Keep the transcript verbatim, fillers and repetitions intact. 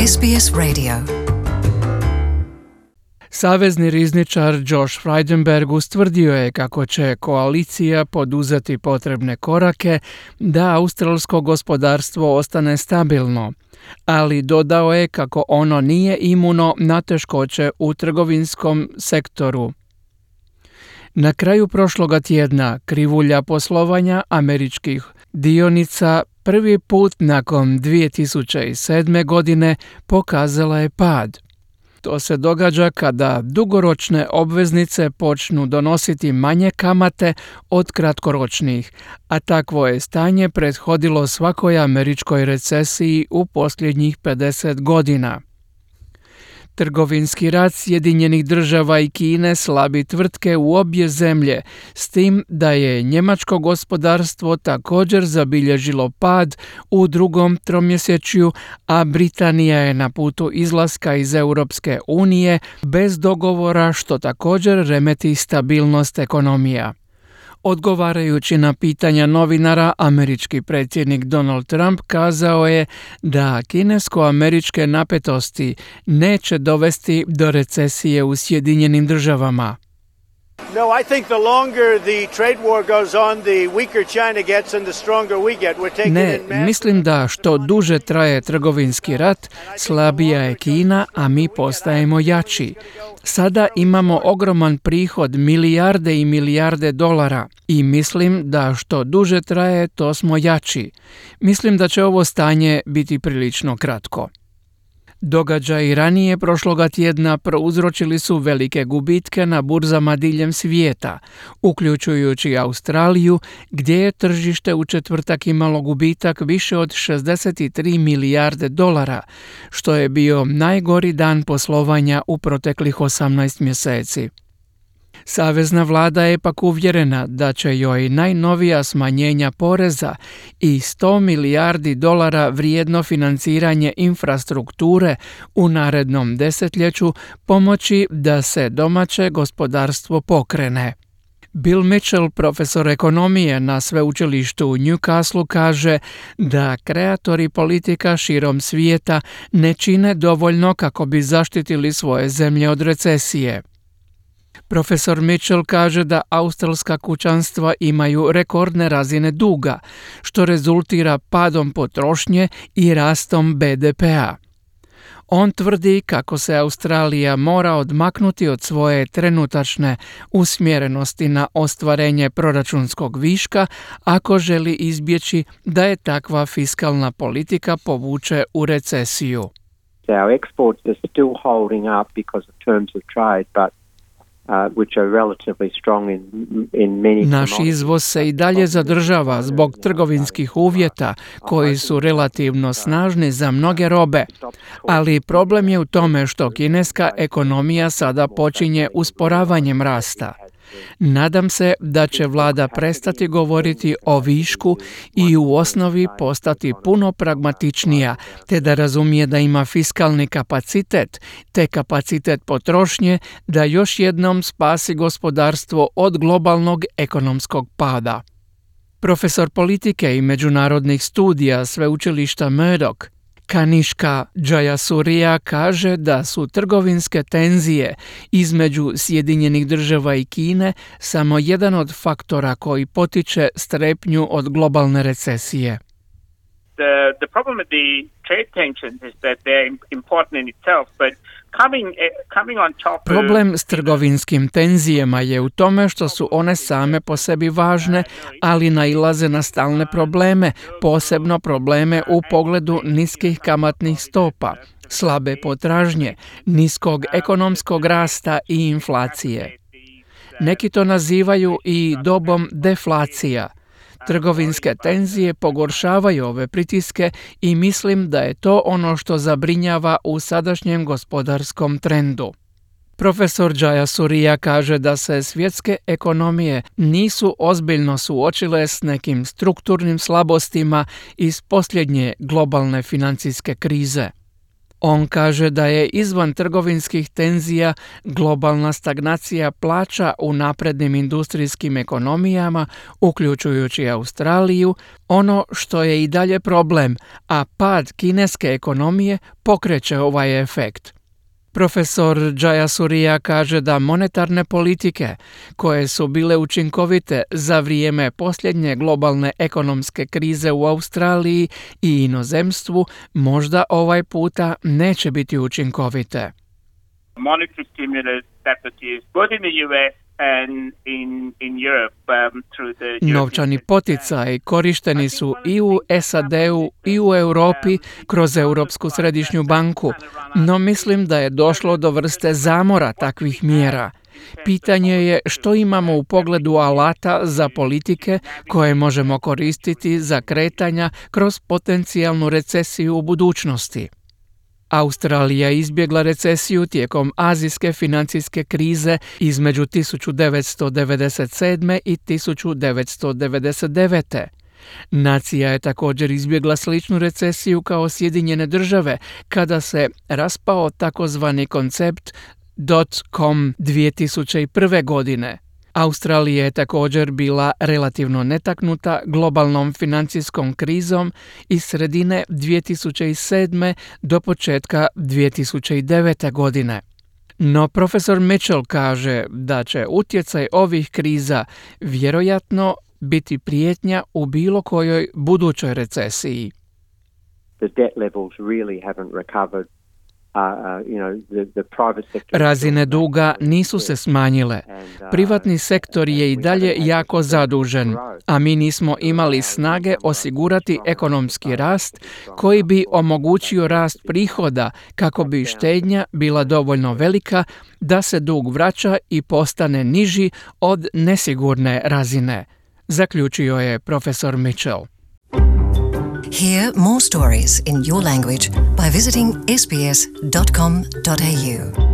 S B S Radio. Savezni rizničar Josh Frydenberg ustvrdio je kako će koalicija poduzeti potrebne korake da australsko gospodarstvo ostane stabilno, ali dodao je kako ono nije imuno na teškoće u trgovinskom sektoru. Na kraju prošloga tjedna krivulja poslovanja američkih dionica prvi put nakon dvije tisuće sedme. godine pokazala je pad. To se događa kada dugoročne obveznice počnu donositi manje kamate od kratkoročnih, a takvo je stanje prethodilo svakoj američkoj recesiji u posljednjih pedeset godina. Trgovinski rat Sjedinjenih država i Kine slabi tvrtke u obje zemlje, s tim da je njemačko gospodarstvo također zabilježilo pad u drugom tromjesečju, a Britanija je na putu izlaska iz Europske unije bez dogovora, što također remeti stabilnost ekonomija. Odgovarajući na pitanja novinara, američki predsjednik Donald Trump kazao je da kinesko-američke napetosti neće dovesti do recesije u Sjedinjenim državama. No, I think the longer the trade war goes on, the weaker China gets and the stronger we get. We're taking Ne, in massive... mislim da što duže traje trgovinski rat, slabija je Kina, a mi postajemo jači. Sada imamo ogroman prihod, milijarde i milijarde dolara i mislim da što duže traje, to smo jači. Mislim da će ovo stanje biti prilično kratko. Događaji ranije prošloga tjedna prouzročili su velike gubitke na burzama diljem svijeta, uključujući Australiju, gdje je tržište u četvrtak imalo gubitak više od šezdeset tri milijarde dolara, što je bio najgori dan poslovanja u proteklih osamnaest mjeseci. Savezna vlada je pak uvjerena da će joj najnovija smanjenja poreza i sto milijardi dolara vrijedno financiranje infrastrukture u narednom desetljeću pomoći da se domaće gospodarstvo pokrene. Bill Mitchell, profesor ekonomije na sveučilištu u Newcastle, kaže da kreatori politika širom svijeta ne čine dovoljno kako bi zaštitili svoje zemlje od recesije. Profesor Mitchell kaže da australska kućanstva imaju rekordne razine duga, što rezultira padom potrošnje i rastom be de pea. On tvrdi kako se Australija mora odmaknuti od svoje trenutačne usmjerenosti na ostvarenje proračunskog viška ako želi izbjeći da je takva fiskalna politika povuče u recesiju. Our exports are still holding up because of terms of trade, but Uh, which are relatively strong in, in many Naš izvoz se i dalje zadržava zbog trgovinskih uvjeta koji su relativno snažni za mnoge robe, ali problem je u tome što kineska ekonomija sada počinje usporavanjem rasta. Nadam se da će vlada prestati govoriti o višku i u osnovi postati puno pragmatičnija, te da razumije da ima fiskalni kapacitet, te kapacitet potrošnje da još jednom spasi gospodarstvo od globalnog ekonomskog pada. Profesor politike i međunarodnih studija sveučilišta Murdoch, Kanishka Jayasuriya, kaže da su trgovinske tenzije između Sjedinjenih država i Kine samo jedan od faktora koji potiče strepnju od globalne recesije. The, the problem with the trade tensions is that they're important in itself, but coming, coming on top of... Problem s trgovinskim tenzijama je u tome što su one same po sebi važne, ali nailaze na stalne probleme, posebno probleme u pogledu niskih kamatnih stopa, slabe potražnje, niskog ekonomskog rasta i inflacije. Neki to nazivaju i dobom deflacija. Trgovinske tenzije pogoršavaju ove pritiske i mislim da je to ono što zabrinjava u sadašnjem gospodarskom trendu. Profesor Jayasuriya kaže da se svjetske ekonomije nisu ozbiljno suočile s nekim strukturnim slabostima iz posljednje globalne financijske krize. On kaže da je izvan trgovinskih tenzija globalna stagnacija plaća u naprednim industrijskim ekonomijama, uključujući Australiju, ono što je i dalje problem, a pad kineske ekonomije pokreće ovaj efekt. Profesor Jayasuriya kaže da monetarne politike, koje su bile učinkovite za vrijeme posljednje globalne ekonomske krize u Australiji i inozemstvu, možda ovaj puta neće biti učinkovite. Monetary stimulus that was used both in the U S and in, in Europe um, through the Novčani poticaji korišteni su i u S A D-u i u Europi kroz Europsku središnju banku, no mislim da je došlo do vrste zamora takvih mjera. Pitanje je što imamo u pogledu alata za politike koje možemo koristiti za kretanja kroz potencijalnu recesiju u budućnosti. Australija je izbjegla recesiju tijekom azijske financijske krize između tisuću devetsto devedeset sedme i tisuću devetsto devedeset devete. Nacija je također izbjegla sličnu recesiju kao Sjedinjene države kada se raspao takozvani koncept dot-com dvije tisuće prve. godine. Australija je također bila relativno netaknuta globalnom financijskom krizom iz sredine dvije tisuće sedme do početka dvije tisuće devete. godine. No profesor Mitchell kaže da će utjecaj ovih kriza vjerojatno biti prijetnja u bilo kojoj budućoj recesiji. The debt levels really haven't recovered. Uh, uh, you know, the, the private sector... Razine duga nisu se smanjile. Privatni sektor je i dalje jako zadužen, a mi nismo imali snage osigurati ekonomski rast koji bi omogućio rast prihoda kako bi štednja bila dovoljno velika da se dug vraća i postane niži od nesigurne razine, zaključio je profesor Mitchell. Hear more stories in your language by visiting s b s dot com dot a u.